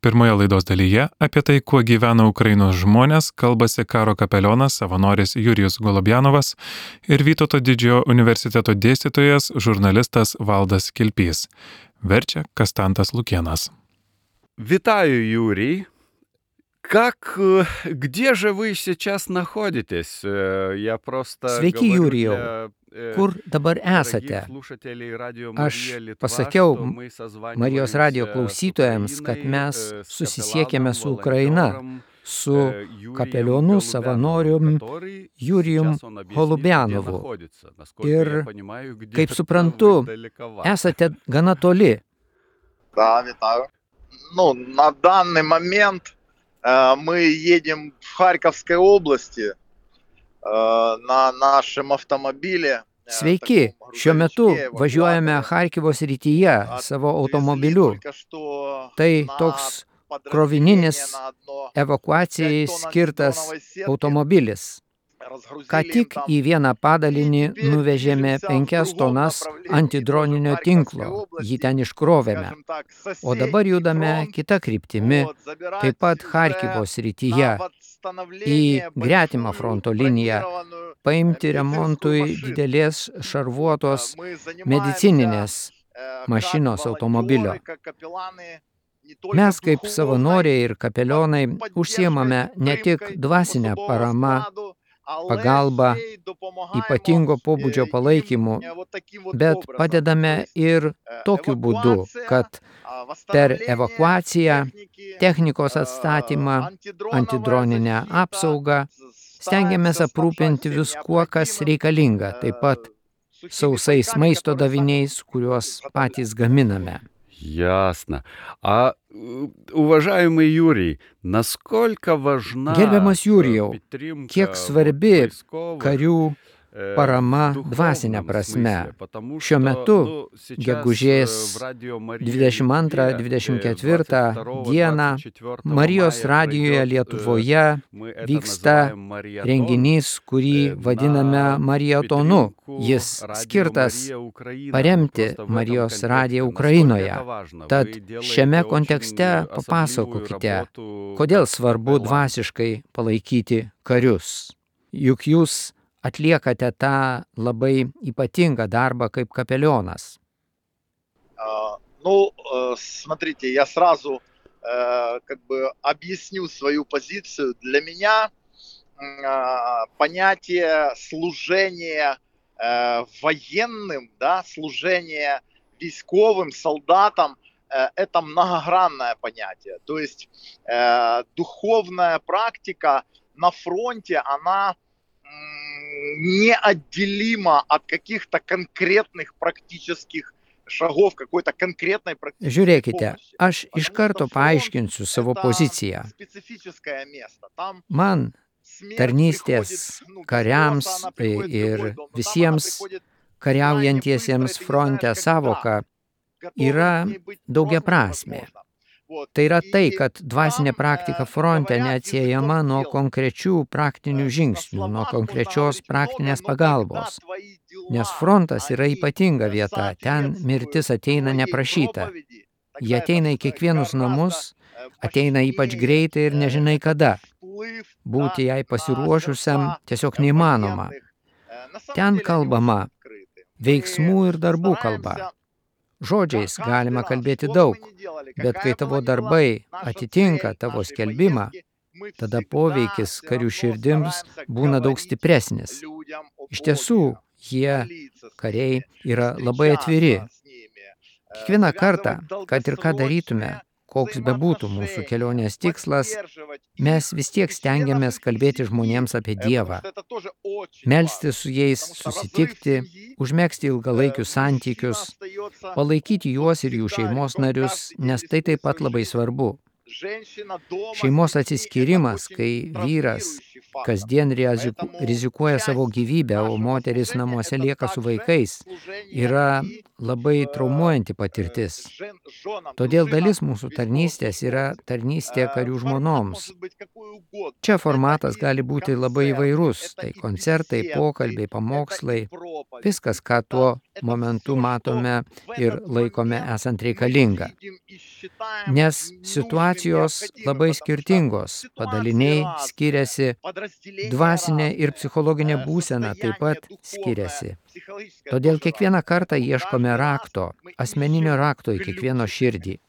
Pirmoje laidos dalyje apie tai, kuo gyvena Ukrainos žmonės, kalbasi karo kapelionas, savanoris Jurijus Golubjanovas ir Vytauto Didžiojo universiteto dėstytojas, žurnalistas Valdas Kilpys. Verčia Kastantas Lukėnas. Витаю, Юрий. Где же вы сейчас находитесь? Я просто Sveiki, Jurijau. Kur dabar esate? Aš pasakiau Marijos radijo klausytojams, kad mes susisiekėme su Ukraina, su kapelionu savanorium Jurijum Golubjanovu. Ir, kaip suprantu, esate gana toli. Да, витаю. На данный момент мы едем в Харьковской области на нашем автомобиле. Sveiki, šiuo metu važiuojame Charkivo srityje savo automobiliu. Tai toks krovininis evakuacijai skirtas automobilis. Ką tik į vieną padalinį nuvežėme 5 tonas antidroninio tinklo, jį ten iškrovėme. O dabar judame kita kryptimi, taip pat Charkivo srityje, į gretimą fronto liniją, paimti remontui didelės šarvuotos medicininės mašinos automobilio. Mes kaip savanoriai ir kapelionai užsiimame ne tik dvasinę paramą, pagalba, ypatingo pobūdžio palaikymu, bet padedame ir tokiu būdu, kad per evakuaciją, technikos atstatymą, antidroninę apsaugą stengiamės aprūpinti viskuo, kas reikalinga, taip pat sausais maisto daviniais, kuriuos patys gaminame. Ясно. Уважаемый Юрий, насколько важна Gerbiamas Jurijau, kiek svarbi karių parama dvasinė prasme. Šiuo metu, gegužės 22-24 dieną, Marijos radijoje Lietuvoje vyksta renginys, kurį vadiname Marietonu. Jis skirtas paremti Marijos radiją Ukrainoje. Tad šiame kontekste papasakokite, kodėl svarbu dvasiškai palaikyti karius. Juk jūs atliekate tą labai ypatingą darbą kaip kapelionas. Смотрите, я сразу объясню свою позицию. Для меня понятие служения военным, служение військовым, солдатам, это многогранное понятие. То есть духовная практика на фронте, она неотделимо от каких-то конкретных практических šagov, какой-то конкретной практической Žiūrėkite, aš iš karto paaiškinsiu savo poziciją. Man tarnystės kariams ir visiems kariaujantiesiems fronte savoka yra daugiaprasmė. Tai yra tai, kad dvasinė praktika fronte neatsiejama nuo konkrečių praktinių žingsnių, nuo konkrečios praktinės pagalbos. Nes frontas yra ypatinga vieta, ten mirtis ateina neprašyta. Jie ateina į kiekvienus namus, ateina ypač greitai ir nežinai kada. Būti jai pasiruošusiam tiesiog neįmanoma. Ten kalbama veiksmų ir darbų kalba. Žodžiais galima kalbėti daug, bet kai tavo darbai atitinka tavo skelbimą, tada poveikis karių širdims būna daug stipresnis. Iš tiesų, jie, kariai, yra labai atviri. Kiekvieną kartą, kad ir ką darytume, koks bebūtų mūsų kelionės tikslas, mes vis tiek stengiamės kalbėti žmonėms apie Dievą, melstis su jais, susitikti, užmegzti ilgalaikius santykius, palaikyti juos ir jų šeimos narius, nes tai taip pat labai svarbu. Šeimos atsiskyrimas, kai vyras kasdien rizikuoja savo gyvybę, o moteris namuose lieka su vaikais, yra labai traumuojanti patirtis. Todėl dalis mūsų tarnystės yra tarnystė karių žmonoms. Čia formatas gali būti labai įvairus, tai koncertai, pokalbiai, pamokslai, viskas, ką tuo momentu matome ir laikome esant reikalinga. Nes situacijos labai skirtingos, padaliniai skiriasi, dvasinė ir psichologinė būsena taip pat skiriasi. Todėl kiekvieną kartą ieškome rakto, asmeninio rakto į kiekvieno širdį.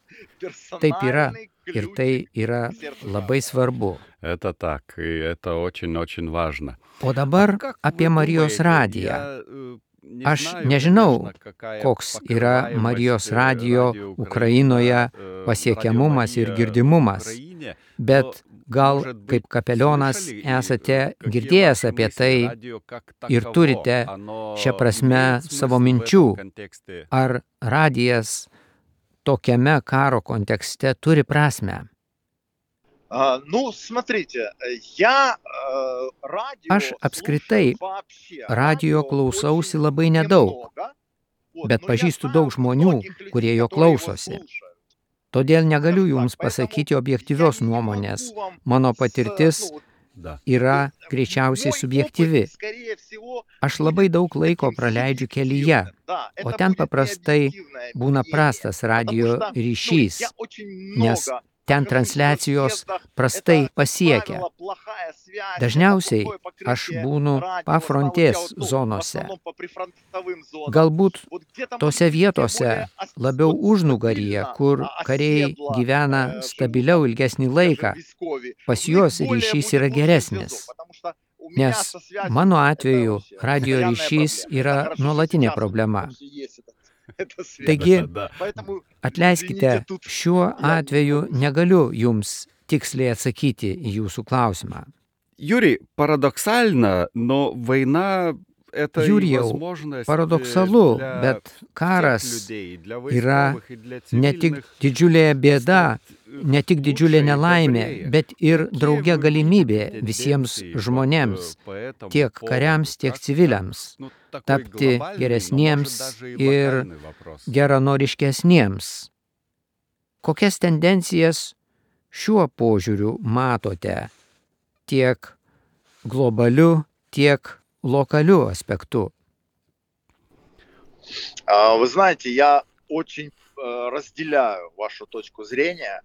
Taip yra ir tai yra labai svarbu. Это так, и это очень-очень важно. O dabar apie Marijos radiją. Aš nežinau, koks yra Marijos radijo Ukrainoje pasiekiamumas ir girdimumas, bet gal kaip kapelionas esate girdėjęs apie tai ir turite šią prasme savo minčių, ar radijas tokiame karo kontekste turi prasmę. Ну, смотрите, я радио Aš apskritai radijo klausausi labai nedaug, bet pažįstu daug žmonių, kurie jo klausosi. Todėl negaliu jums pasakyti objektyvios nuomonės. Mano patirtis yra greičiausiai subjektyvi. Aš labai daug laiko praleidžiu kelyje, o ten paprastai būna prastas radijo ryšys, nes ten transliacijos prastai pasiekia. Dažniausiai aš būnu pafrontės zonose. Galbūt tose vietose labiau užnugaryje, kur kariai gyvena stabiliau ilgesnį laiką, pas juos ryšys yra geresnis. Nes mano atveju radijo ryšys yra nuolatinė problema. Taigi, atleiskite, šiuo atveju negaliu jums tiksliai atsakyti į jūsų klausimą. Юрий, парадоксально, но война — это Jurijau, paradoksalu, bet karas yra ne tik didžiulė bėda, ne tik didžiulė nelaimė, bet ir drauge galimybė visiems žmonėms, tiek kariams, tiek civiliams, tapti geresniems ir geranoriškesniems. Kokias tendencijas šiuo požiūriu matote tiek globaliu, tiek lokaliu аспекту? Вы знаете, я очень разделяю вашу точку зрения,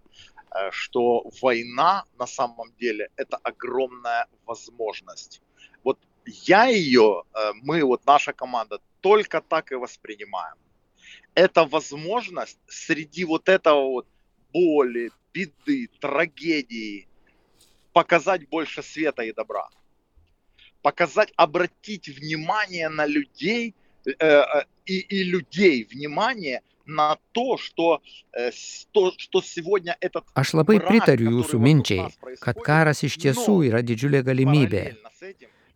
что война на самом деле это огромная возможность. Вот я ее, мы, вот наша команда, только так и воспринимаем. Это возможность среди вот этого вот боли, беды, трагедии показать больше света и добра. Показать, обратить внимание на людей и людей внимание на то, что сегодня этот Aš labai pritariu jūsų minčiai, kad karas iš tiesų yra didžiulė galimybė.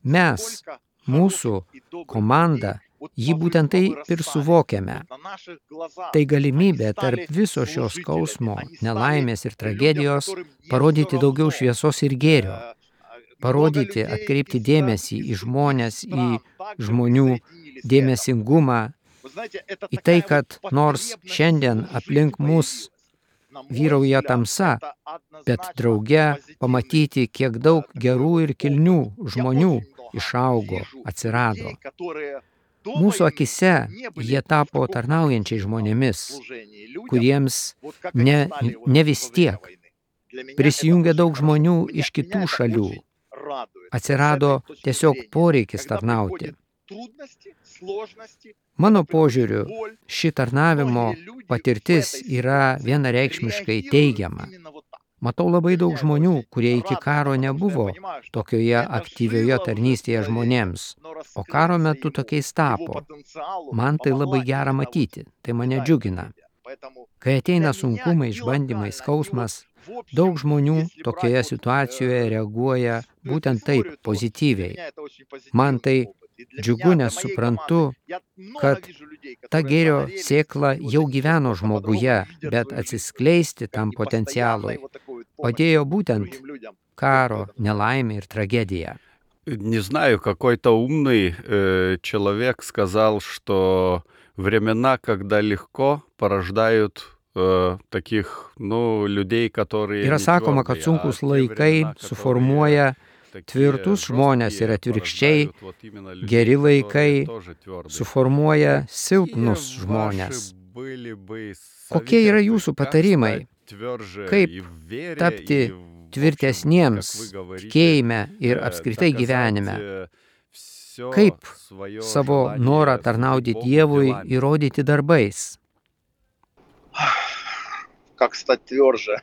Mes, mūsų komanda, jį būtent tai ir suvokiame. Tai galimybė tarp viso šio skausmo, nelaimės ir tragedijos parodyti daugiau šviesos ir gėrio. Parodyti, atkreipti dėmesį į žmonės, į žmonių dėmesingumą, į tai, kad nors šiandien aplink mus vyrauja tamsa, bet drauge pamatyti, kiek daug gerų ir kilnių žmonių išaugo, atsirado. Mūsų akise jie tapo tarnaujančiai žmonėmis, kuriems ne vis tiek. Prisijungė daug žmonių iš kitų šalių. Atsirado tiesiog poreikis tarnauti. Mano požiūriu, ši tarnavimo patirtis yra vienareikšmiškai teigiama. Matau labai daug žmonių, kurie iki karo nebuvo tokioje aktyvioje tarnystėje žmonėms, o karo metu tokiais tapo. Man tai labai gera matyti, tai mane džiugina. Kai ateina sunkumai, išbandymai, skausmas, daug žmonių tokioje situacijoje reaguoja būtent taip, pozityviai. Man tai džiugu, nes suprantu, kad ta gėrio sėkla jau gyveno žmoguje, bet atsiskleisti tam potencialui padėjo būtent karo, nelaimė ir tragedija. Не знаю, какой-то умный человек сказал, что времена, когда легко, порождают таких, людей, которые... Yra sakoma, kad sunkus laikai suformuoja tvirtus žmonės ir atvirkščiai, geri laikai suformuoja silpnus žmonės. Kokie yra jūsų patarimai? Kaip tapti tvirtesniems tikėjime ir apskritai gyvenime? Kaip savo norą tarnauti Dievui įrodyti darbais? Как стать тверже?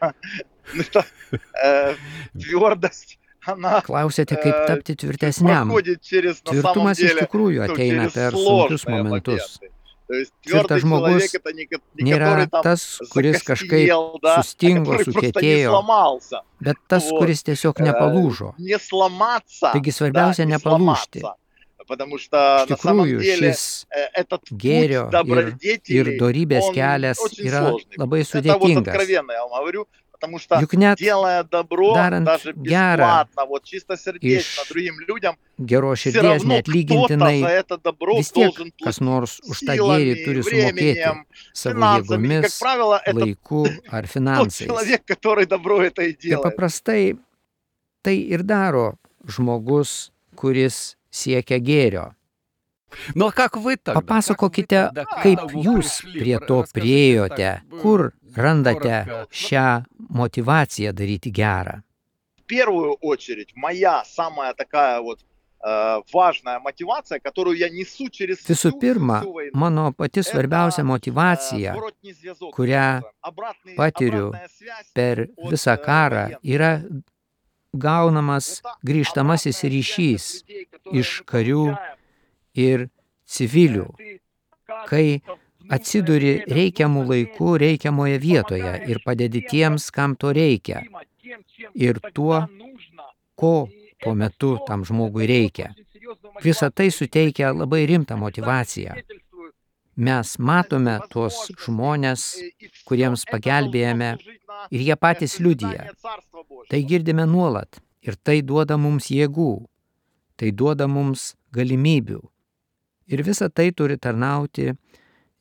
Твердость, она Klausėte, kaip tapti tvirtesniam. проходит через, на самом Tvirtumas iš деле, tikrųjų ateina через per sunkius сложные momentus. моменты. То есть Tvirtas твердый žmogus человек это не Nėra который там tas, kuris kažkaip закостенел, да, а sustingo, который просто не sukietėjo, сломался. bet tas, Вот. kuris tiesiog nepalūžo. Не сломаться, Taigi да, svarbiausia не nepalūžti. сломаться. Потому что Iš на самом tikrųjų, деле šis этот gėrio путь добродетелей, dorybės он kelias очень yra сложный. labai Это вот sudėtingas. откровенно я вам говорю, потому что Juk net делая добро, darant даже gerą бесплатно, вот чистосердечно iš другим людям, geros все širdies равно кто-то neatlygintinai, за это добро vis tiek должен kas платить nors už tą gėrį силами, turi sumokėti временем, savo финансами. И, как jėgomis, правило, это laiku ar тот finansais. человек, который добро это и Ir делает. paprastai tai ir daro žmogus, kuris siekia gėrio. Ну, а как вы тогда? Papasakokite, kaip jūs prie to priėjote, kur randate šią motivaciją daryti gerą. В первую очередь, моя самая такая вот важная мотивация, которую я несу через Visų pirma, всю войну. mano pati svarbiausia motivacija, Зворотний зв'язок, kurią patiriu обратная связь per visą karą, yra gaunamas grįžtamasis ryšys iš karių ir civilių, kai atsiduri reikiamų laikų reikiamoje vietoje ir padedi tiems, kam to reikia, ir tuo, ko tuo metu tam žmogui reikia. Visa tai suteikia labai rimtą motivaciją. Mes matome tuos žmonės, kuriems pagelbėjame, ir jie patys liudija. Tai girdime nuolat ir tai duoda mums jėgų, tai duoda mums galimybių. Ir visa tai turi tarnauti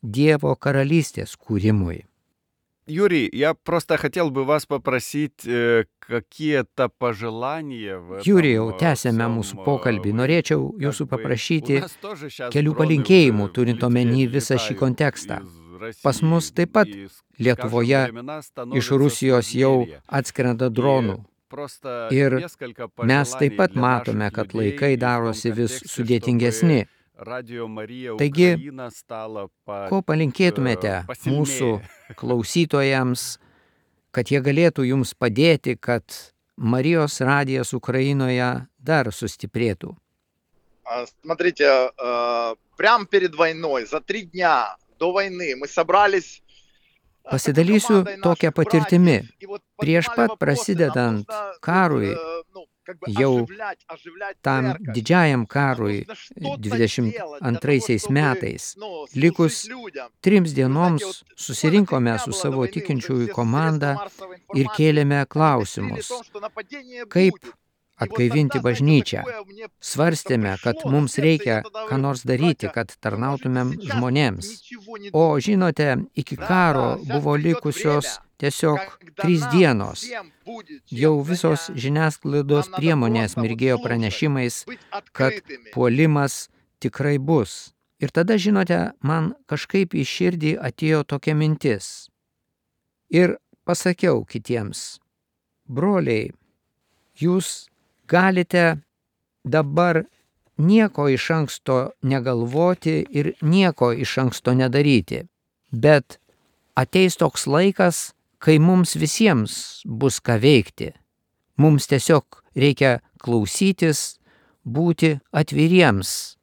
Dievo karalystės kūrimui. Юрий, я просто хотел бы вас попросить какие-то пожелания в этом Jurijau, tęsėme всем, mūsų pokalbį. вот, Norėčiau как jūsų бы, paprašyti у нас тоже щас kelių дроны palinkėjimų, уже turint omeny visą šį летают kontekstą. из России, Pas mus taip pat и, скажем, Lietuvoje времена iš становятся Rusijos jau сложнее. atskrenda dronų. Просто Ir несколько mes taip пожеланий pat для matome, наших kad людей laikai и в том darosi vis контексте, sudėtingesni. чтобы Радио Мария Taigi, Украина стала Ko palinkėtumėte mūsų klausytojams, kad jie galėtų jums padėti, kad Marijos radijas Ukrainoje dar sustiprėtų? Смотрите, прямо перед войной, за 3 дня до войны мы собрались. Pasidalysiu tokią patirtimi. Prieš pat prasidedant karui, jau tam didžiajam karui 22 metais, likus 3 dienoms susirinkome su savo tikinčiųjų komanda ir kėlėme klausimus, kaip atgaivinti bažnyčią. Svarstėme, kad mums reikia ką nors daryti, kad tarnautumėm žmonėms. O žinote, iki karo buvo likusios tiesiog 3 dienos. Jau visos žiniasklaidos priemonės mirgėjo pranešimais, kad puolimas tikrai bus. Ir tada, žinote, man kažkaip į širdį atėjo tokia mintis. Ir pasakiau kitiems, broliai, jūs galite dabar nieko iš anksto negalvoti ir nieko iš anksto nedaryti. Bet ateis toks laikas, kai mums visiems bus ką veikti. Mums tiesiog reikia klausytis, būti atviriems,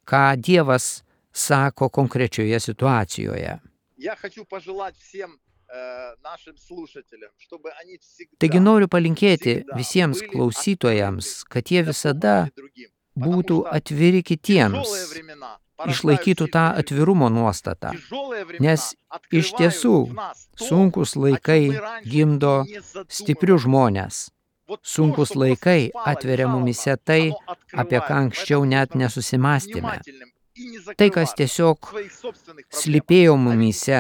ką Dievas sako konkrečioje situacijoje. Taigi noriu palinkėti visiems klausytojams, kad jie visada būtų atviri kitiems, išlaikytų tą atvirumo nuostatą, nes iš tiesų sunkus laikai gimdo stiprius žmonės. Sunkus laikai atveria mumise tai, apie ką anksčiau net nesusimastėme. Tai, kas tiesiog slypėjo mumyse,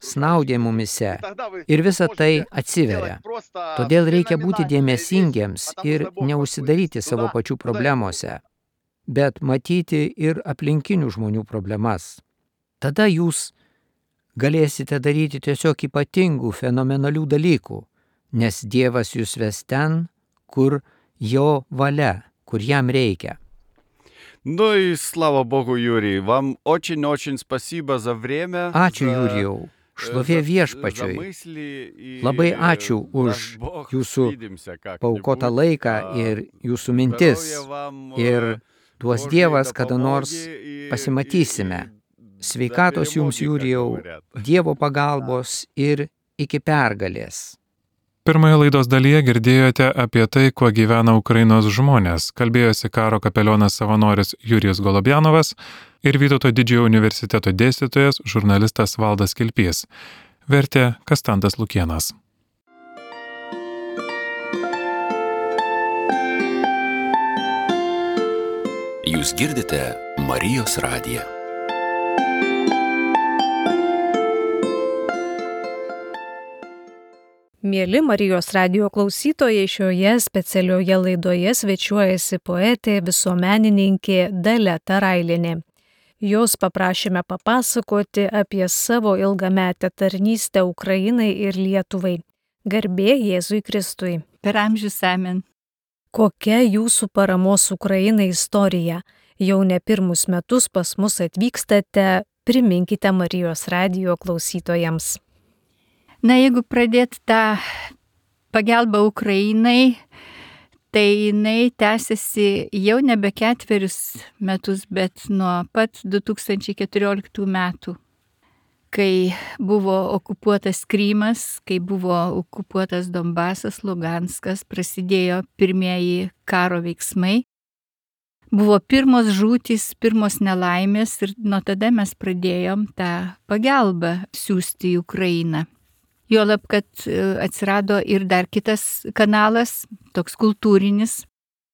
snaudė mumyse ir visa tai atsiveria. Todėl reikia būti dėmesingiems ir neužsidaryti savo pačių problemose, bet matyti ir aplinkinių žmonių problemas. Tada jūs galėsite daryti tiesiog ypatingų, fenomenalių dalykų, nes Dievas jūs ves ten, kur jo valia, kur jam reikia. Ну и слава Богу, Юрий, вам очень-очень спасибо за время. Ačiū, Jurijau. Šlovė Viešpačiui. Labai ačiū už jūsų paaukotą laiką ir jūsų mintis. Ir duos Dievas, kada nors pasimatysime. Sveikatos jums, Jurijau, Dievo pagalbos ir iki pergalės. Pirmoje laidos dalyje girdėjote apie tai, kuo gyvena Ukrainos žmonės. Kalbėjosi karo kapelionas savanoris Jurijus Golobjanovas ir Vytauto didžiojo universiteto dėstytojas, žurnalistas Valdas Kilpys. Vertė Kastantas Lukėnas. Jūs girdite Marijos radiją. Mieli Marijos radijo klausytojai, šioje specialioje laidoje svečiuojasi poetė, visuomenininkė Dalia Tarailienė. Jos paprašėme papasakoti apie savo ilgametę tarnystę Ukrainai ir Lietuvai. Garbė Jėzui Kristui. Per amžius amen. Kokia jūsų paramos Ukrainai istorija? Jau ne pirmus metus pas mus atvykstate, priminkite Marijos radijo klausytojams. Na, jeigu pradėt tą pagalbą Ukrainai, tai jinai tęsiasi jau nebe 4 metus, bet nuo pat 2014 metų, kai buvo okupuotas Krymas, kai buvo okupuotas Donbasas, Luganskas, prasidėjo pirmieji karo veiksmai. Buvo pirmos žūtys, pirmos nelaimės ir nuo tada mes pradėjom tą pagalbą siųsti į Ukrainą. Juolab, kad atsirado ir dar kitas kanalas, toks kultūrinis.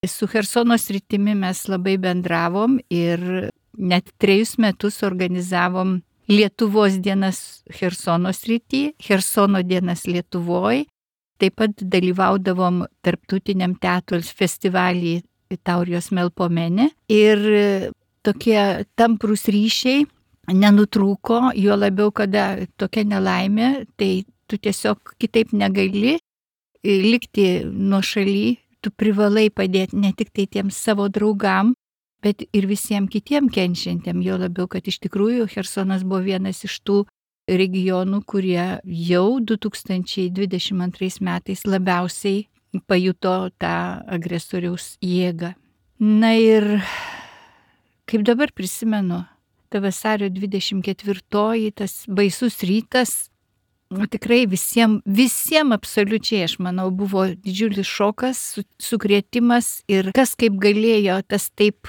Su Chersono sritimi mes labai bendravom ir net 3 metus organizavom Lietuvos dienas Chersono srity, Chersono dienas Lietuvoj. Taip pat dalyvaudavom tarptautiniam teatro festivalį Taurijos Melpomene. Ir tokie tamprūs ryšiai nenutrūko, juo labiau, kada tokia nelaimė, tai tu tiesiog kitaip negali likti nuošaly, tu privalai padėti ne tik tai tiems savo draugam, bet ir visiems kitiem kenčiantiem, jo labiau, kad iš tikrųjų Chersonas buvo vienas iš tų regionų, kurie jau 2022 metais labiausiai pajuto tą agresoriaus jėgą. Na ir kaip dabar prisimenu, ta vasario 24, tas baisus rytas, tikrai visiems absoliučiai, aš manau, buvo didžiulis šokas, sukrėtimas ir kas kaip galėjo, tas taip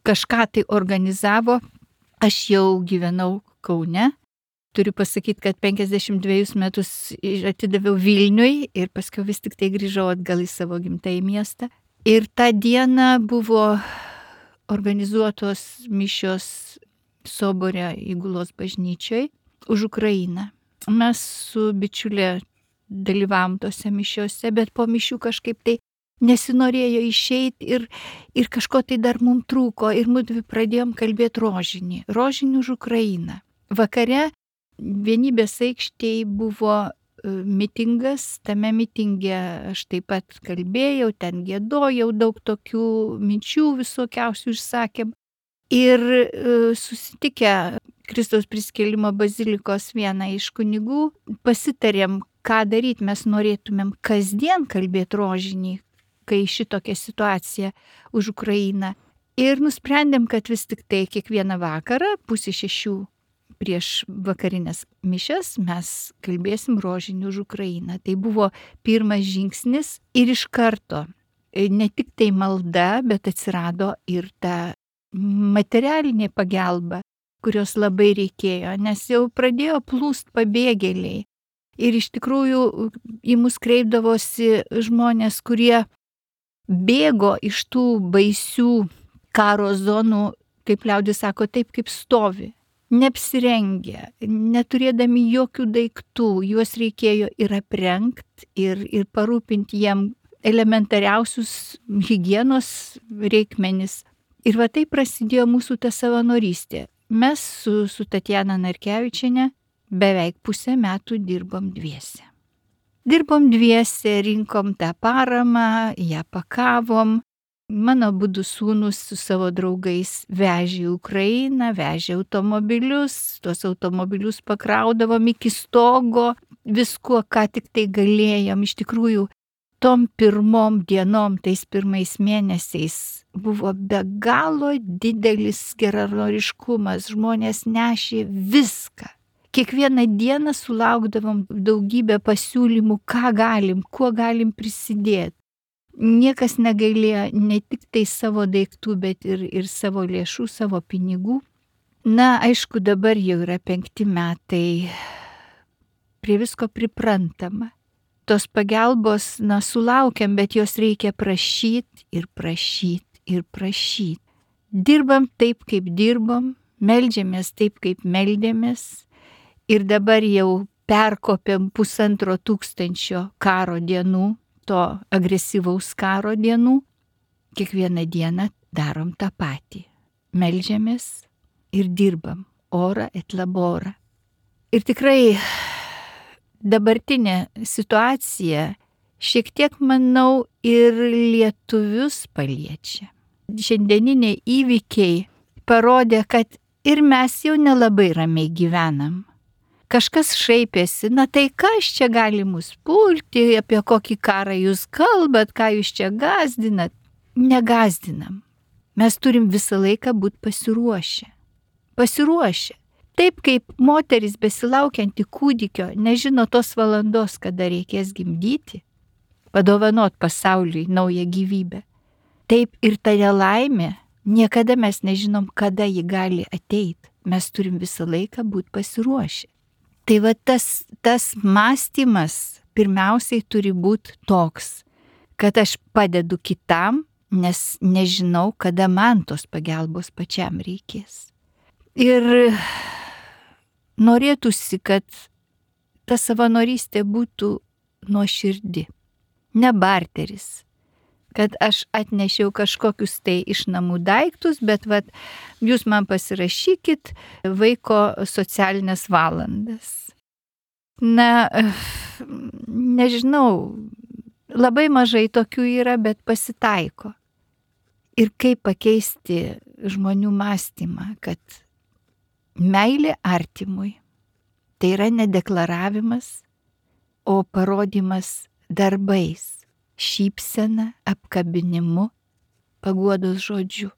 kažką tai organizavo. Aš jau gyvenau Kaune. Turiu pasakyti, kad 52 metus atidaviau Vilniui ir paskui vis tik tai grįžau atgal į savo gimtąjį miestą. Ir tą dieną buvo organizuotos mišios Sobore įgulos bažnyčioj už Ukrainą. Mes su bičiulė dalyvavom tose mišiose, bet po mišių kažkaip tai nesinorėjo išeiti ir kažko tai dar mums trūko ir mudvi pradėjom kalbėti rožinį už Ukrainą. Vakare Vienybės aikštėje buvo mitingas, tame mitinge aš taip pat kalbėjau, ten giedojau, daug tokių minčių visokiausių išsakėm. Ir susitikę Kristaus prisikėlimo bazilikos vieną iš kunigų, pasitarėm, ką daryti. Mes norėtumėm kasdien kalbėti rožinį, kai šitokia situacija už Ukrainą. Ir nusprendėm, kad vis tik tai kiekvieną vakarą 5:30 prieš vakarinės mišias mes kalbėsim rožinį už Ukrainą. Tai buvo pirmas žingsnis ir iš karto ne tik tai malda, bet atsirado ir ta materialinė pagalba, kurios labai reikėjo, nes jau pradėjo plūst pabėgėliai. Ir iš tikrųjų į mus kreipdavosi žmonės, kurie bėgo iš tų baisių karo zonų, kaip liaudis sako, taip kaip stovi, neapsirengę, neturėdami jokių daiktų, juos reikėjo ir aprengti, ir parūpinti jiem elementariausius higienos reikmenis. Ir va tai prasidėjo mūsų ta savanorystė. Mes su Tatjana Narkevičiene beveik pusę metų dirbom dviese. Rinkom tą paramą, ją pakavom. Mano abudu sūnus su savo draugais vežė į Ukrainą, vežė automobilius, tuos automobilius pakraudavom iki stogo, viskuo, ką tik tai galėjom. Iš tikrųjų, tom pirmom dienom, tais pirmais mėnesiais buvo be galo didelis geranoriškumas, žmonės nešė viską. Kiekvieną dieną sulaukdavom daugybę pasiūlymų, ką galim, kuo galim prisidėti. Niekas negailėjo ne tik tai savo daiktų, bet ir savo lėšų, savo pinigų. Na, aišku, dabar jau yra 5 metai, prie visko priprantama. Tos pagalbos, sulaukiam, bet jos reikia prašyti ir prašyti ir prašyti. Dirbam taip, kaip dirbam, meldžiamės taip, kaip meldėmės. Ir dabar jau perkopėm 1500 karo dienų, to agresyvaus karo dienų. Kiekvieną dieną darom tą patį. Meldžiamės ir dirbam. Ora et labora. Ir tikrai dabartinė situacija šiek tiek, manau, ir lietuvius paliečia. Šiandieniniai įvykiai parodė, kad ir mes jau nelabai ramiai gyvenam. Kažkas šaipėsi, tai kas čia gali mus pulti, apie kokį karą jūs kalbat, ką jūs čia gazdinat. Negazdinam. Mes turim visą laiką būti pasiruošę. Pasiruošę. Taip kaip moteris besilaukianti kūdikio nežino tos valandos, kada reikės gimdyti, padovanot pasauliui naują gyvybę. Taip ir ta nelaimė, niekada mes nežinom, kada ji gali ateiti. Mes turim visą laiką būti pasiruošę. Tai va tas mąstymas pirmiausiai turi būti toks, kad aš padedu kitam, nes nežinau, kada man tos pagalbos pačiam reikės. Ir norėtųsi, kad ta savanorystė būtų nuoširdi, ne barteris. Kad aš atnešiau kažkokius tai iš namų daiktus, bet jūs man pasirašykit vaiko socialinės valandas. Na, nežinau, labai mažai tokių yra, bet pasitaiko. Ir kaip pakeisti žmonių mąstymą, kad meilė artimui tai yra nedeklaravimas, o parodymas darbais. Šypsena, apkabinimu, paguodos žodžiu.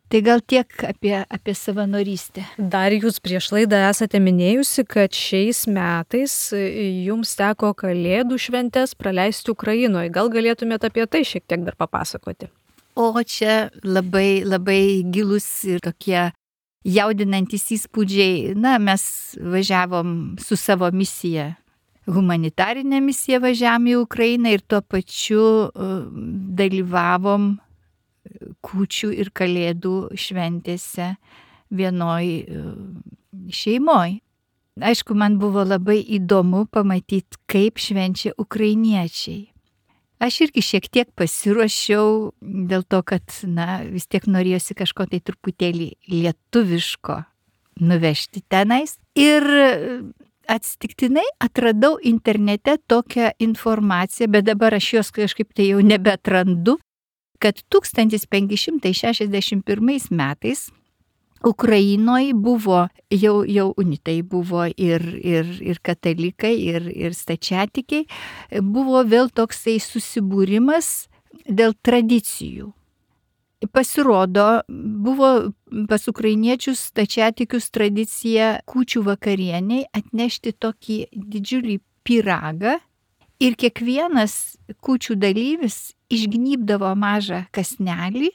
Tai gal tiek apie savanorystę. Dar jūs prieš laidą esate minėjusi, kad šiais metais jums teko Kalėdų šventes praleisti Ukrainoje. Gal galėtumėte apie tai šiek tiek dar papasakoti? O čia labai, labai gilus ir tokie jaudinantis įspūdžiai. Na, mes važiavom su savo misija. Humanitarinę misiją važiavom į Ukrainą ir tuo pačiu dalyvavom kūčių ir Kalėdų šventėse vienoj šeimoj. Aišku, man buvo labai įdomu pamatyti, kaip švenčia ukrainiečiai. Aš irgi šiek tiek pasiruošiau dėl to, kad vis tiek norėjosi kažko tai truputėlį lietuviško nuvežti tenais. Ir atsitiktinai atradau internete tokią informaciją, bet dabar aš jos kažkaip tai jau nebetrandu, kad 1561 metais Ukrainoje buvo, jau unitai buvo ir katalikai, ir stačiatikiai, buvo vėl toksai susibūrimas dėl tradicijų. Pasirodo, buvo pas ukrainiečius stačiatikius tradicija kūčių vakarieniai atnešti tokį didžiulį pyragą ir kiekvienas kūčių dalyvis išgnybdavo mažą kąsnelį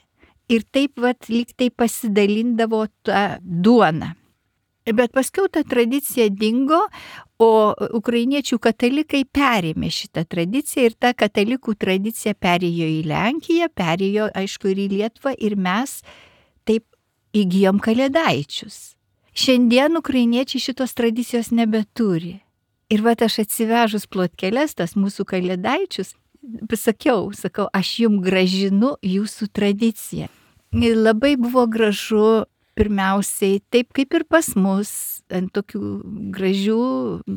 ir taip lyg tai pasidalindavo tą duoną. Bet paskiau ta tradicija dingo, o ukrainiečių katalikai perėmė šitą tradiciją ir ta katalikų tradicija perėjo į Lenkiją, perėjo, aišku, ir į Lietuvą ir mes taip įgyjom kalėdaičius. Šiandien ukrainiečiai šitos tradicijos nebeturi. Ir aš atsivežus plotkeles, tas mūsų kalėdaičius, sakau, aš jums gražinu jūsų tradiciją. Ir labai buvo gražu, pirmiausiai, taip kaip ir pas mus, ant tokių gražių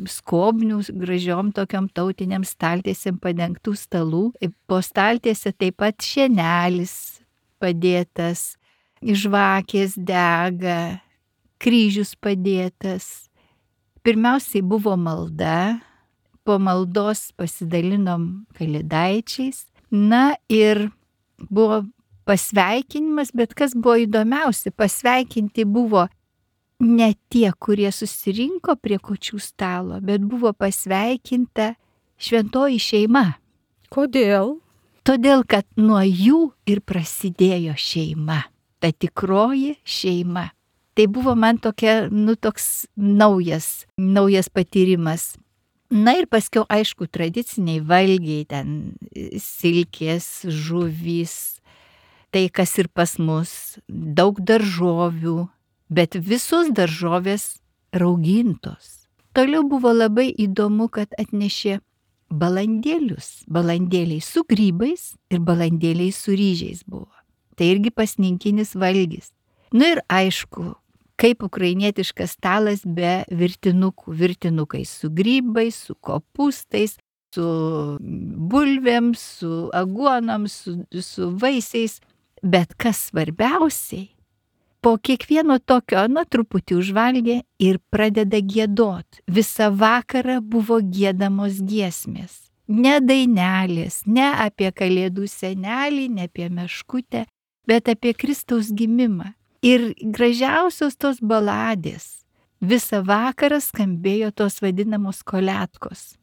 skobnių, gražiom tokiom tautiniam staltiesėm padengtų stalų. Po staltiesė taip pat šienelis padėtas, žvakės dega, kryžius padėtas. Pirmiausiai buvo malda, po maldos pasidalinom kalėdaičiais, na ir buvo pasveikinimas, bet kas buvo įdomiausia, pasveikinti buvo ne tie, kurie susirinko prie kūčių stalo, bet buvo pasveikinta šventoji šeima. Kodėl? Todėl, kad nuo jų ir prasidėjo šeima, ta tikroji šeima. Tai buvo man tokia, toks naujas patyrimas. Na ir paskiau, aišku, tradiciniai valgiai, ten silkės, žuvys, tai kas ir pas mus, daug daržovių, bet visos daržovės raugintos. Toliau buvo labai įdomu, kad atnešė balandėlius. Balandėliai su grybais ir balandėliai su ryžiais buvo. Tai irgi pasninkinis valgis. Nu ir aišku, kaip ukrainietiškas stalas be virtinukų. Virtinukai su grybais, su kopūstais, su bulvėm, su aguonom, su vaisiais. Bet kas svarbiausiai, po kiekvieno tokio, truputį užvalgė ir pradeda giedot. Visą vakarą buvo giedamos giesmės. Ne dainelės, ne apie kalėdų senelį, ne apie meškutę, bet apie Kristaus gimimą. Ir gražiausios tos baladės. Visą vakarą skambėjo tos vadinamos koletkos.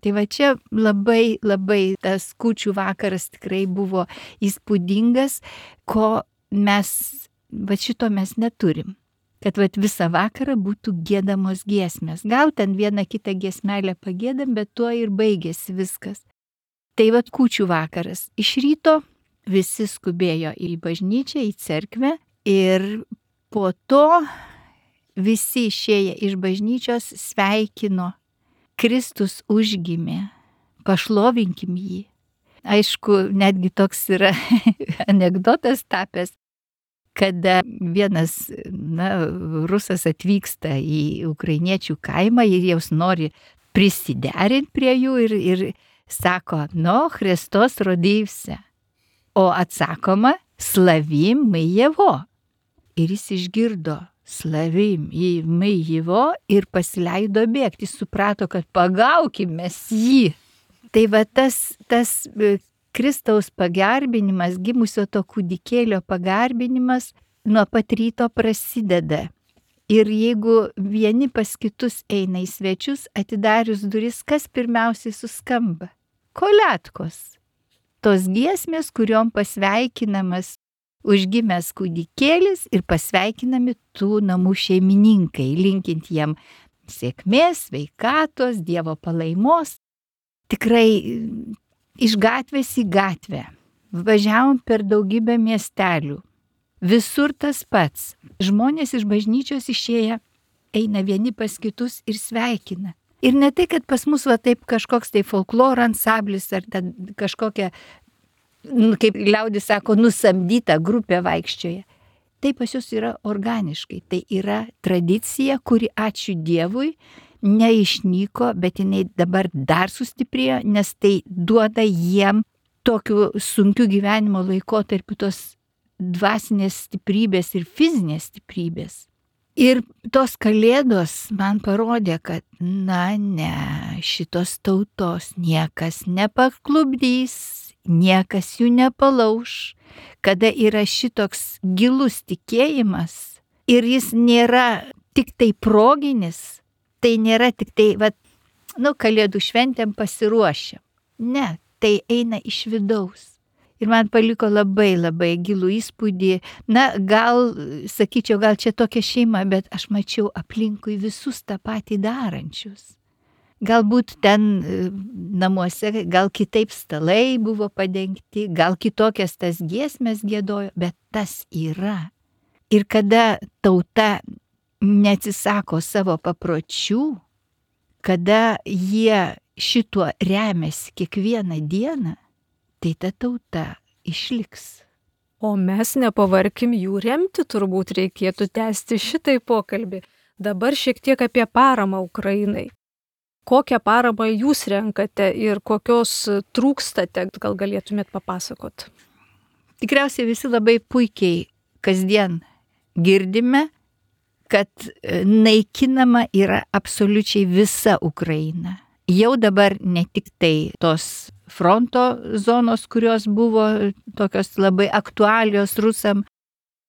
Tai va čia labai tas kūčių vakaras tikrai buvo įspūdingas, ko šito mes neturim. Kad visą vakarą būtų giedamos giesmės. Gal ten vieną kitą giesmelę pagėdam, bet tuo ir baigėsi viskas. Tai kūčių vakaras. Iš ryto visi skubėjo į bažnyčią, į cerkvę ir po to visi išėję iš bažnyčios sveikino. Kristus užgimė, pašlovinkim jį. Aišku, netgi toks yra anekdotas tapęs, kada vienas rusas atvyksta į ukrainiečių kaimą ir jaus nori prisiderinti prie jų ir sako, Hristos rodivse. O atsakoma, slavim my Jeho. Ir jis išgirdo, slavim my Jeho ir pasileido bėgti, suprato, kad pagaukim mes jį. Tai tas Kristaus pagarbinimas, gimusio to kūdikėlio pagarbinimas nuo pat ryto prasideda. Ir jeigu vieni pas kitus eina į svečius, atidarius duris, kas pirmiausiai suskamba? Koletkos. Tos giesmės, kuriom pasveikinamas užgimęs kūdikėlis ir pasveikinami tų namų šeimininkai, linkint jiem sėkmės, sveikatos, Dievo palaimos. Tikrai iš gatvės į gatvę. Važiavom per daugybę miestelių. Visur tas pats. Žmonės iš bažnyčios išėję eina vieni pas kitus ir sveikina. Ir ne tai, kad pas mus taip kažkoks tai folkloro ansamblis ar kažkokia, kaip liaudis sako, nusamdyta grupė vaikščioja. Tai pas jūs yra organiškai. Tai yra tradicija, kuri, ačiū Dievui, neišnyko, bet jinai dabar dar sustiprėjo, nes tai duoda jiem tokiu sunkiu gyvenimo laikotarpiu tos dvasinės stiprybės ir fizinės stiprybės. Ir tos kalėdos man parodė, kad šitos tautos niekas nepaklubdys, niekas jų nepalauš, kada yra šitoks gilus tikėjimas ir jis nėra tik tai proginis, tai nėra tik tai, kalėdų šventėm pasiruošę. Ne, tai eina iš vidaus. Ir man paliko labai gilų įspūdį. Sakyčiau, gal čia tokia šeima, bet aš mačiau aplinkui visus tą patį darančius. Galbūt ten namuose, gal kitaip stalai buvo padengti, gal kitokias tas giesmės giedojo, bet tas yra. Ir kada tauta neatsisako savo papročių, kada jie šituo remiasi kiekvieną dieną, tai ta tauta išliks. O mes nepavarkim jų remti, turbūt reikėtų tęsti šitai pokalbį. Dabar šiek tiek apie paramą Ukrainai. Kokią paramą jūs renkate ir kokios trūkstate, gal galėtumėt papasakot? Tikriausiai visi labai puikiai kasdien girdime, kad naikinama yra absoliučiai visa Ukraina. Jau dabar ne tik tai tos fronto zonos, kurios buvo tokios labai aktualios rusam,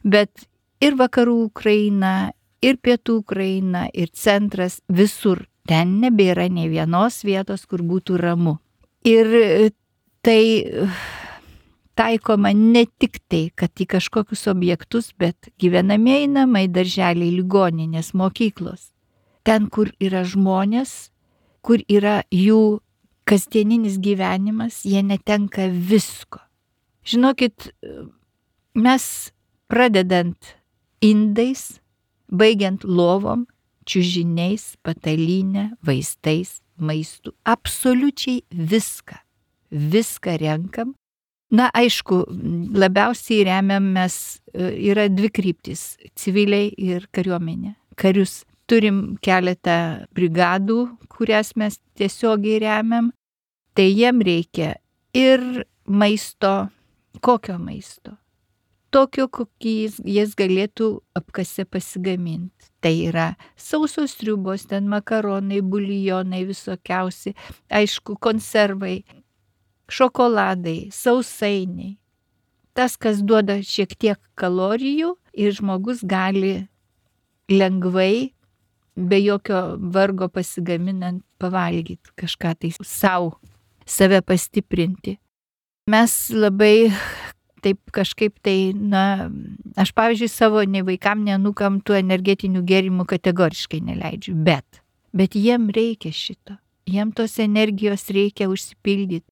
bet ir vakarų Ukraina, ir pietų Ukraina, ir centras, visur. Ten nebėra nei vienos vietos, kur būtų ramu. Ir tai taikoma ne tik tai, kad į kažkokius objektus, bet gyvenamieji namai, darželiai, ligoninės, mokyklos. Ten, kur yra žmonės, kur yra jų kasdieninis gyvenimas, jie netenka visko. Žinokit, mes pradedant indais, baigiant lovom, čiužiniais, patalynė, vaistais, maistu, absoliučiai viską. Viską renkam. Na, aišku, labiausiai remiam mes, yra dvi kryptis - civiliai ir kariuomenė. Karius turim keletą brigadų, kurias mes tiesiogiai remiam, tai jiem reikia ir maisto. Kokio maisto? Tokio, kokį jis galėtų apkase pasigaminti. Tai yra sausos sriubos, ten makaronai, buljonai visokiausi, aišku, konservai, šokoladai, sausainiai. Tas, kas duoda šiek tiek kalorijų ir žmogus gali lengvai, be jokio vargo pasigaminant, pavalgyti kažką tai save pastiprinti. Mes labai taip kažkaip tai, aš pavyzdžiui savo nei vaikam, nei anūkam tų energetinių gėrimų kategoriškai neleidžiu, bet jiem reikia šito, jiem tos energijos reikia užsipildyti,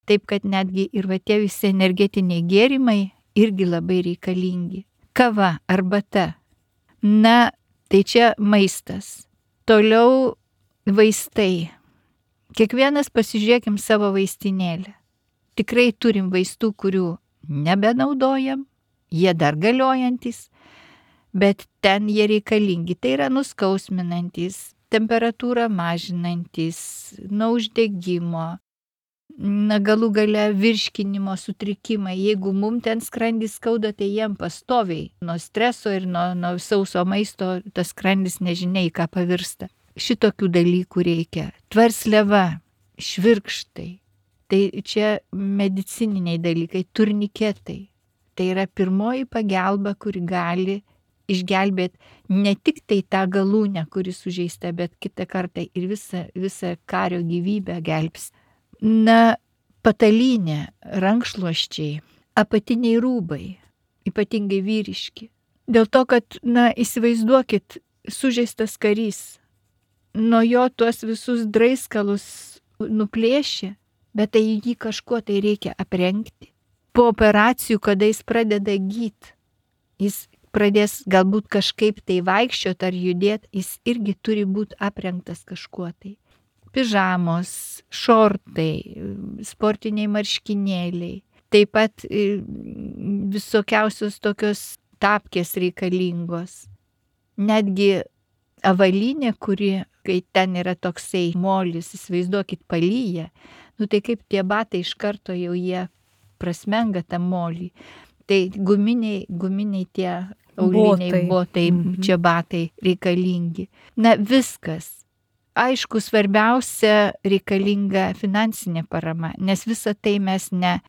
taip kad netgi ir va tie visi energetiniai gėrimai irgi labai reikalingi. Kava, arbata, tai čia maistas. Toliau vaistai. Kiekvienas pasižiūrėkim savo vaistinėlę. Tikrai turim vaistų, kurių nebenaudojam, jie dar galiojantis, bet ten jie reikalingi. Tai yra nuskausminantis, temperatūrą mažinantis, nuo uždegimo, galų gale virškinimo sutrikimai. Jeigu mum ten skrandis skauda, tai jiem pastoviai nuo streso ir nuo sauso maisto tas skrandis nežinia į ką pavirsta. Šitokių dalykų reikia. Tvarsliava, švirkštai. Tai čia medicininiai dalykai, turniketai. Tai yra pirmoji pagalba, kuri gali išgelbėti ne tik tai tą galūnę, kuri sužeista, bet kitą kartą ir visą kario gyvybę gelbs. Patalynė, rankšluosčiai, apatiniai rūbai, ypatingai vyriški. Dėl to, kad, įsivaizduokit, sužeistas karys, nuo jo tuos visus draiskalus nuplėšė, bet tai jį kažkuo tai reikia aprengti. Po operacijų, kada jis pradeda gyti, jis pradės galbūt kažkaip tai vaikščioti ar judėti, jis irgi turi būti aprengtas kažkuo tai. Pižamos, šortai, sportiniai marškinėliai, taip pat visokiausios tokios tapkės reikalingos. Netgi avalynė, kuri, kai ten yra toksai molis, įsivaizduokit, palyja, tai kaip tie batai iš karto jau jie prasmenga tą molį. Tai guminiai tie auliniai botai, čia batai reikalingi. Viskas. Aišku, svarbiausia reikalinga finansinė parama, nes visą tai mes ne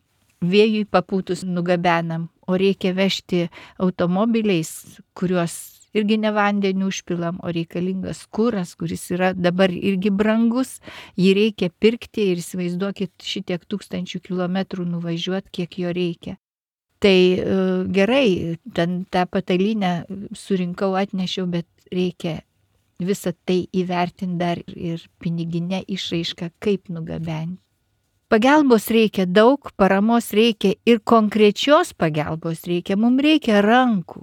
vėjui papūtus nugabenam, o reikia vežti automobiliais, kuriuos irgi ne vandeniu užpilam, o reikalingas kuras, kuris yra dabar irgi brangus, jį reikia pirkti ir įsivaizduokit šitiek 1000 kilometrų nuvažiuoti, kiek jo reikia. Tai gerai, tą patalynę surinkau, atnešiau, bet reikia visą tai įvertinti dar ir piniginę išraišką, kaip nugabenti. Pagalbos reikia daug, paramos reikia ir konkrečios pagalbos reikia, mums reikia rankų.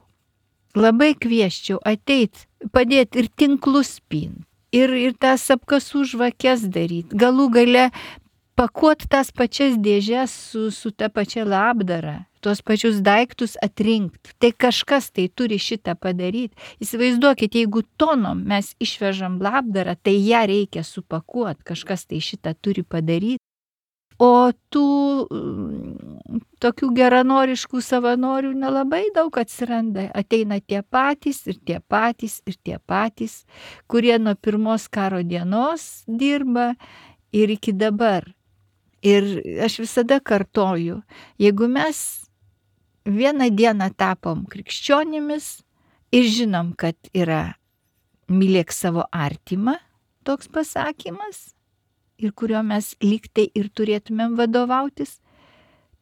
labai kvieščiau ateit, padėti ir tinklus pint, ir tas apkasų žvakes daryti, galų gale pakuot tas pačias dėžes su ta pačia labdara, tuos pačius daiktus atrinkti. Tai kažkas tai turi šitą padaryti. Įsivaizduokit, jeigu tonom mes išvežam labdarą, tai ją reikia supakuoti, kažkas tai šitą turi padaryti. O tų tokių geranoriškų savanorių nelabai daug atsiranda. Ateina tie patys ir tie patys ir tie patys, kurie nuo pirmos karo dienos dirba ir iki dabar. Ir aš visada kartoju, jeigu mes vieną dieną tapom krikščionimis ir žinom, kad yra mylėk savo artimą, toks pasakymas, ir kurio mes lygtai ir turėtumėm vadovautis,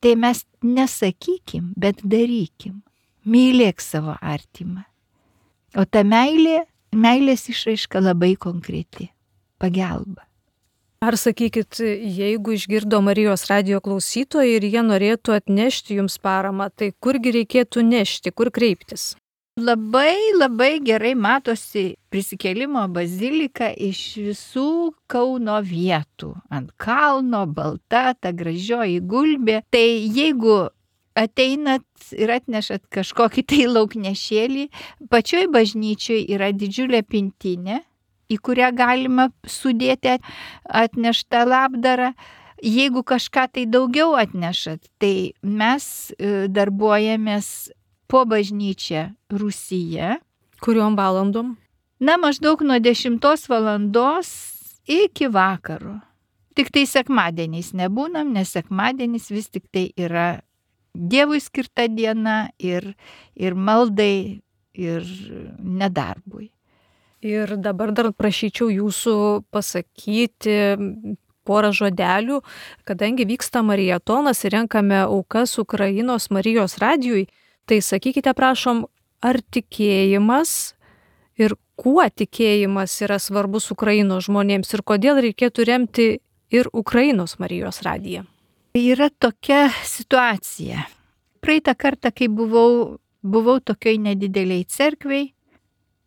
tai mes nesakykim, bet darykim. Mylėk savo artimą. O ta meilės išraiška labai konkreti. Pagalba. Ar sakykit, jeigu išgirdo Marijos radijo klausytojai ir jie norėtų atnešti jums paramą, tai kurgi reikėtų nešti, kur kreiptis? Labai gerai matosi Prisikėlimo bazilika iš visų Kauno vietų. Ant kalno, balta, ta gražioji gulbė. Tai jeigu ateinat ir atnešat kažkokį tai lauknešėlį, pačioj bažnyčioj yra didžiulė pintinė, į kurią galima sudėti atneštą labdarą. Jeigu kažką tai daugiau atnešat, tai mes darbuojamės po bažnyčią Rūsyje. Kuriom valandom? Maždaug nuo 10 valandos iki vakaro. Tik tai sekmadieniais nebūnam, nes sekmadienis vis tik tai yra Dievui skirta diena ir maldai, ir nedarbui. Ir dabar dar prašyčiau jūsų pasakyti porą žodelių, kadangi vyksta mariatonas ir renkame aukas Ukrainos Marijos radijui, tai sakykite, prašom, ar tikėjimas ir kuo tikėjimas yra svarbus Ukrainos žmonėms ir kodėl reikėtų remti ir Ukrainos Marijos radiją? Yra tokia situacija. Praeitą kartą, kai buvau tokioj nedideliai cerkvei,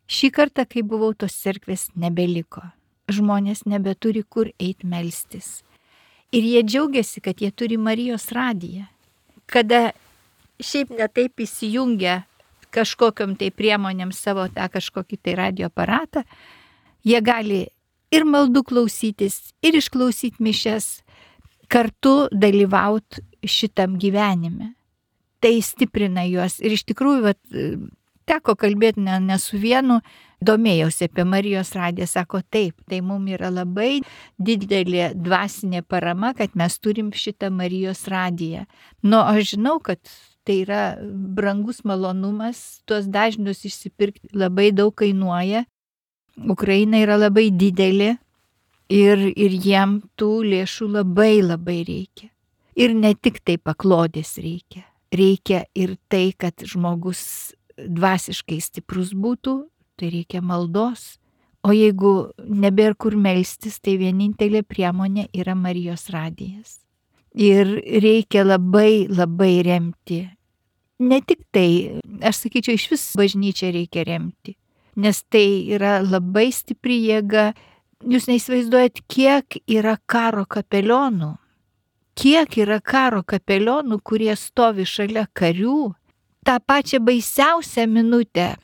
šį kartą, kai buvau, tos cerkvės nebeliko. Žmonės nebeturi kur eiti melstis. Ir jie džiaugiasi, kad jie turi Marijos radiją. Kada šiaip netaip įsijungia kažkokiam tai priemonėm savo tą kažkokį tai radio aparatą, jie gali ir maldų klausytis, ir išklausyti mišias, kartu dalyvauti šitam gyvenime. Tai stiprina juos. Ir iš tikrųjų, teko kalbėti ne su vienu, domėjausi apie Marijos radiją, sako taip, tai mums yra labai didelė dvasinė parama, kad mes turim šitą Marijos radiją. Aš žinau, kad tai yra brangus malonumas, tuos dažnius išsipirkti labai daug kainuoja. Ukraina yra labai didelė ir jiem tų lėšų labai reikia. Ir ne tik tai paklodės reikia. Reikia ir tai, kad žmogus dvasiškai stiprus būtų, tai reikia maldos. O jeigu nebėra kur melstis, tai vienintelė priemonė yra Marijos radijas. Ir reikia labai remti. Ne tik tai, aš sakyčiau, iš vis bažnyčią reikia remti, nes tai yra labai stipri jėga. Jūs neįsivaizduojat, kiek yra karo kapelionų. Kiek yra karo kapelionų, kurie stovi šalia karių. tą pačią baisiausią minutę,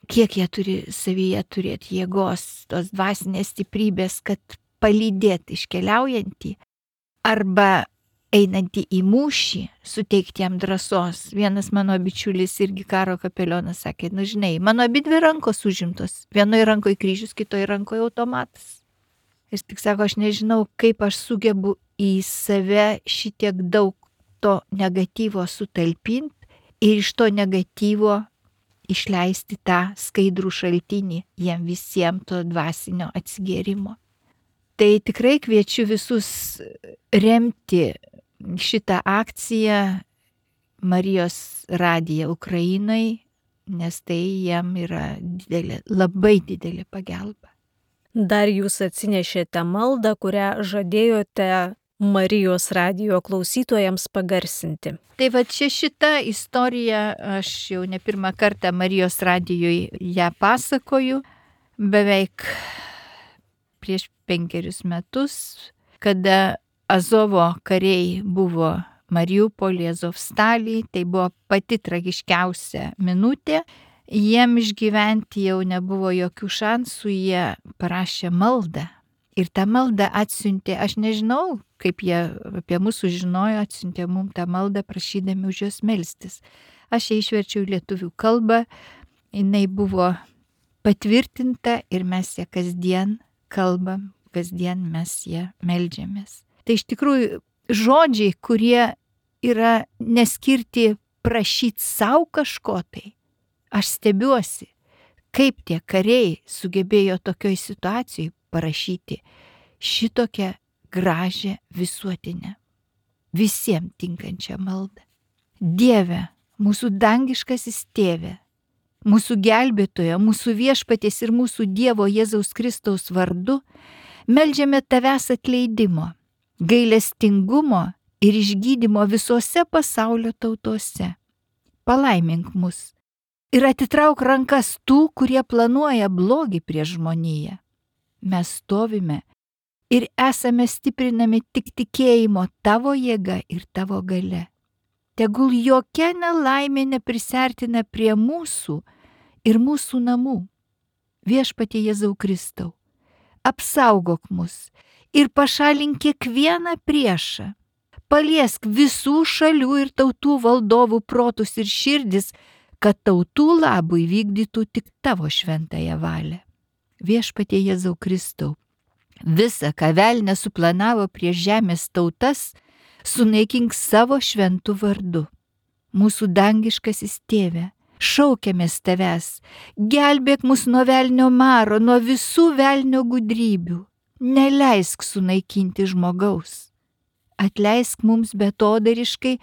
kiek jie turi savyje turėti jėgos, tos dvasinės stiprybės, kad palydėti iškeliaujantį arba einantį į mūšį, suteikti jam drąsos. Vienas mano bičiulis irgi karo kapelionas sakė, žinai, mano abidvi rankos užimtos, vienoje rankoje kryžius, kitoje rankoje automatas. Jis tik sako, aš nežinau, kaip aš sugebu į save šitiek daug to negatyvo sutalpinti ir iš to negatyvo išleisti tą skaidrų šaltinį jiem visiems to dvasinio atsigėrimo. Tai tikrai kviečiu visus remti šitą akciją Marijos radiją Ukrainai, nes tai jiem yra didelė, labai didelė pagalba. Dar jūs atsinešėte maldą, kurią žadėjote Marijos radijo klausytojams pagarsinti. Tai va čia šita istorija, aš jau ne pirmą kartą Marijos radijui ją pasakoju, beveik prieš 5 metus, kada Azovo kariai buvo Mariupolį, Azovstalį, tai buvo pati tragiškiausia minutė. Jiem išgyventi jau nebuvo jokių šansų, jie parašė maldą. Ir tą maldą atsiuntė, aš nežinau, kaip jie apie mus sužinojo, atsiuntė mums tą maldą prašydami už juos melstis. Aš ją išverčiau į lietuvių kalbą, jinai buvo patvirtinta ir mes ją kasdien kalbam, kasdien mes ją meldžiamės. Tai iš tikrųjų žodžiai, kurie yra neskirti prašyti savo kažko tai. Aš stebiuosi, kaip tie kariai sugebėjo tokioj situacijai parašyti šitokią gražią visuotinę, visiems tinkančią maldą. Dieve, mūsų dangiškasis tėve, mūsų gelbėtojo, mūsų viešpaties ir mūsų Dievo Jėzaus Kristaus vardu, meldžiame tavęs atleidimo, gailestingumo ir išgydymo visose pasaulio tautose. Palaimink mus ir atitrauk rankas tų, kurie planuoja blogį prieš žmoniją. Mes stovime ir esame stiprinami tik tikėjimo tavo jėga ir tavo galia. Tegul jokia nelaimė neprisertina prie mūsų ir mūsų namų. Viešpatie Jėzau Kristau, apsaugok mus ir pašalink kiekvieną priešą. Paliesk visų šalių ir tautų valdovų protus ir širdis, kad tautų labui vykdytų tik tavo šventąją valią. Viešpatie Jėzau Kristau, visa, ką velnias suplanavo prieš žemės tautas, sunaikink savo šventų vardu. Mūsų dangiškasis tėve, šaukiamės tavęs, gelbėk mus nuo velnio maro, nuo visų velnio gudrybių. Neleisk sunaikinti žmogaus. Atleisk mums betodariškai,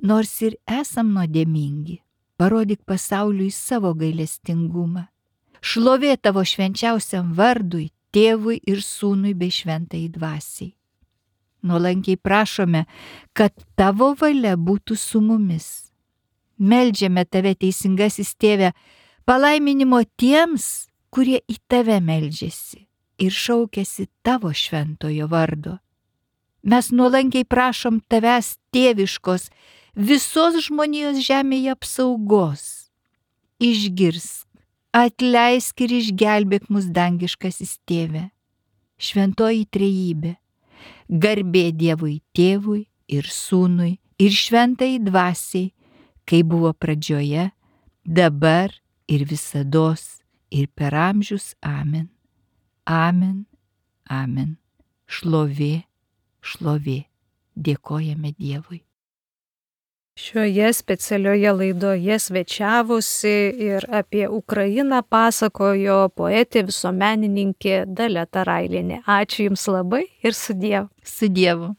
nors ir esam nuodėmingi. Parodyk pasauliui savo gailestingumą. Šlovė tavo švenčiausiam vardui, tėvui ir sūnui bei šventai dvasiai. Nuolankiai prašome, kad tavo valia būtų su mumis. Meldžiame tave, teisingasis tėve, palaiminimo tiems, kurie į tave meldžiasi ir šaukiasi tavo šventojo vardo. Mes nuolankiai prašom tavęs tėviškos visos žmonijos žemėje apsaugos. Išgirsk, atleisk ir išgelbėk mus dangiškasis tėve. Šventoji trejybė, garbė Dievui tėvui ir sūnui ir šventai dvasiai, kai buvo pradžioje, dabar ir visados ir per amžius. Amen. Amen. Amen. Šlovė, šlovė. Dėkojame Dievui. Šioje specialioje laidoje svečiavosi ir apie Ukrainą pasakojo poetė visuomenininkė Dalia Tarailienė. Ačiū Jums labai ir su Dievu. Su Dievu.